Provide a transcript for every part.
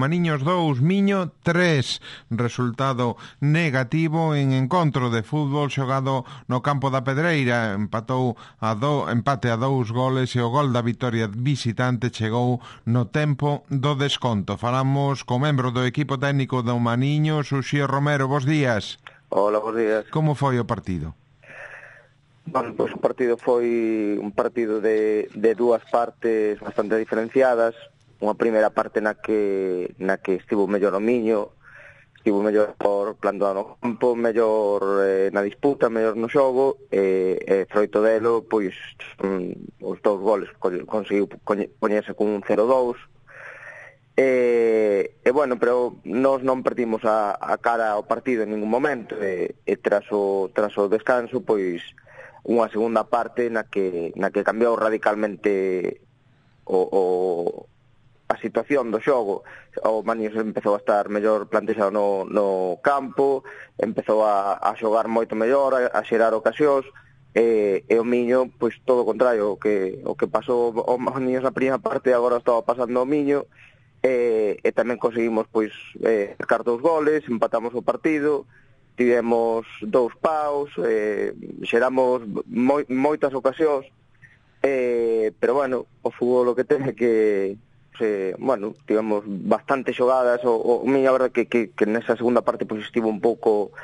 Maniños 2, Miño 3, resultado negativo en encontro de fútbol xogado no campo da Pedreira. Empate a 2 goles e o gol da vitoria visitante chegou no tempo do desconto. Falamos co membro do equipo técnico do Maniños, Uxío Romero. Bos días. Hola, bos días. Como foi o partido? Bueno, pois o partido foi un partido de dúas partes bastante diferenciadas. Unha primeira parte na que estivo mellor o Miño, estivo mellor por plantado no campo, mellor na disputa, mellor no xogo, e froito delo, pois os dous goles conseguiu poñerse con un 0-2. E bueno, pero nós non perdimos a cara ao partido en ningún momento, e tras o descanso, pois unha segunda parte na que cambiou radicalmente a situación do xogo. O Maniños empezou a estar mellor plantexado no campo, empezou a xogar moito mellor, a xerar ocasións, e o Miño, pois todo o contrario, o que pasou o Maniños na primeira parte agora estaba pasando o Miño, e tamén conseguimos pois marcar 2 goles, empatamos o partido, tivemos 2 paus, xeramos moitas ocasións, pero bueno, o fútbol o que ten é que bueno, tivemos bastante xogadas. O Miño, a verdade que nesa segunda parte pois estivo un pouco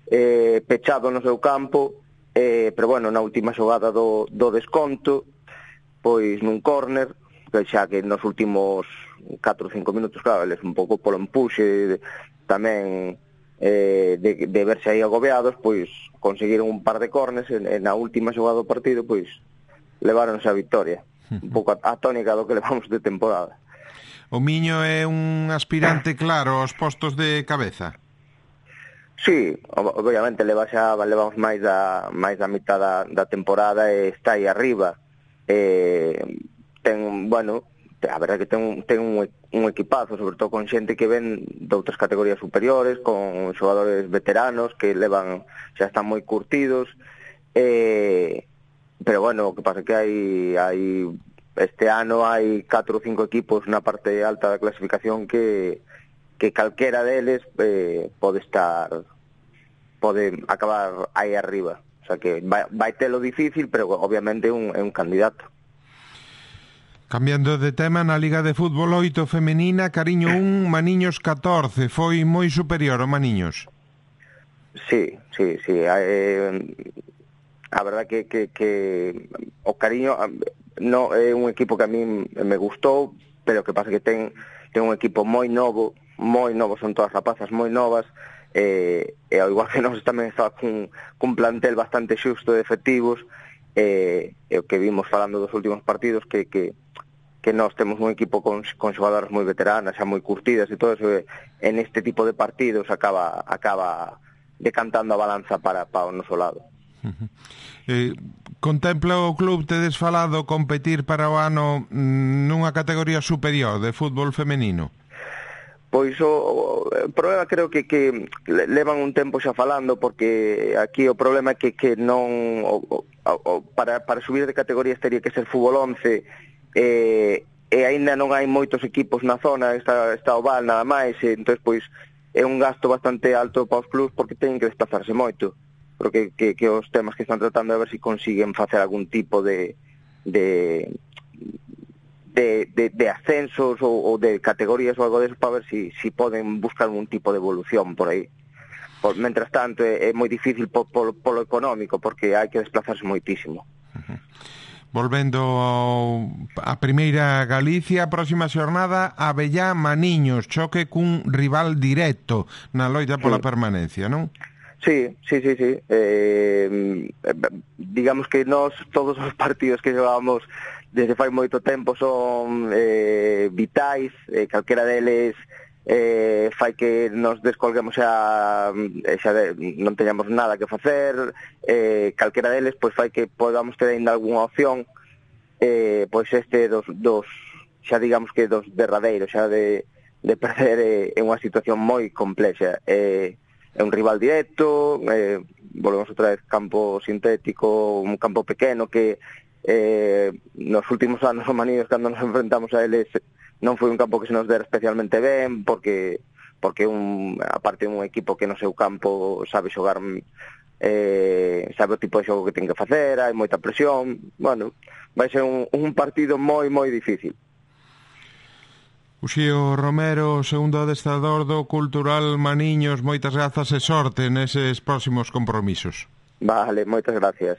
pechado no seu campo, pero bueno, na última xogada do desconto, pois nun córner, xa que nos últimos 4 ou 5 minutos, claro, eles un pouco polo empuxe tamén de verse aí agobiados, pois conseguiron un par de córners, e na última xogada do partido pois leváronse a victoria, un pouco a tónica do que levamos de temporada. O Miño é un aspirante claro aos postos de cabeza? Sí, obviamente levamos máis da mitad da temporada e está aí arriba. Bueno, a verdade que ten un equipazo, sobre todo con xente que ven de outras categorías superiores, con xogadores veteranos que xa están moi curtidos, pero bueno, o que pasa é que hai este ano hai 4 ou 5 equipos na parte alta da clasificación que calquera deles pode acabar aí arriba. O sea que vai telo difícil, pero obviamente é un candidato. Cambiando de tema, na Liga de Fútbol 8 femenina, Cariño 1, Maniños 14. Foi moi superior o Maniños? Sí. A verdade que o Cariño no é un equipo que a mí me gustou, pero que pasa que ten un equipo moi novo, son todas rapazas moi novas, e ao igual que nós tamén estaba cun plantel bastante xusto de efectivos, e o que vimos falando dos últimos partidos que nós temos un equipo con xogadoras moi veteranas, xa moi curtidas e todo eso, e neste tipo de partidos acaba decantando a balanza para o noso lado. Contempla o club, tedes falado, competir para o ano nunha categoría superior de fútbol femenino? Pois o problema creo que levan un tempo xa falando, porque aquí o problema é que non para subir de categorías teria que ser fútbol 11, e aínda non hai moitos equipos na zona, está o Val nada máis, entón pois é un gasto bastante alto para os clubs porque teñen que desplazarse moito. Pero que os temas que están tratando a ver se consiguen facer algún tipo de ascensos ou de categorías ou algo deso, para ver se poden buscar un tipo de evolución por aí. Mentras tanto é moi difícil polo económico, porque hai que desplazarse moitísimo. Volvendo a primeira Galicia, a próxima xornada Abellá Maniños, choque cun rival directo na loita pola permanencia, non? Sí. Digamos que nós, todos os partidos que xogábamos desde fai moito tempo son vitais, calquera deles fai que nos descolguemos xa non teñamos nada que facer, calquera deles pois fai que podamos ter ainda algunha opción, pois este dos xa digamos que dos derradeiros, xa de perder é unha situación moi complexa. É un rival directo, volvemos outra vez campo sintético, un campo pequeno que nos últimos anos o Maniños, cando nos enfrentamos a eles, non foi un campo que se nos dera especialmente ben, porque aparte un equipo que no seu campo sabe xogar, sabe o tipo de xogo que ten que facer, hai moita presión. Bueno, vai ser un partido moi difícil. Uxío Romero, segundo adestrador do Cultural Maniños, moitas grazas e sorte neses próximos compromisos. Vale, moitas gracias.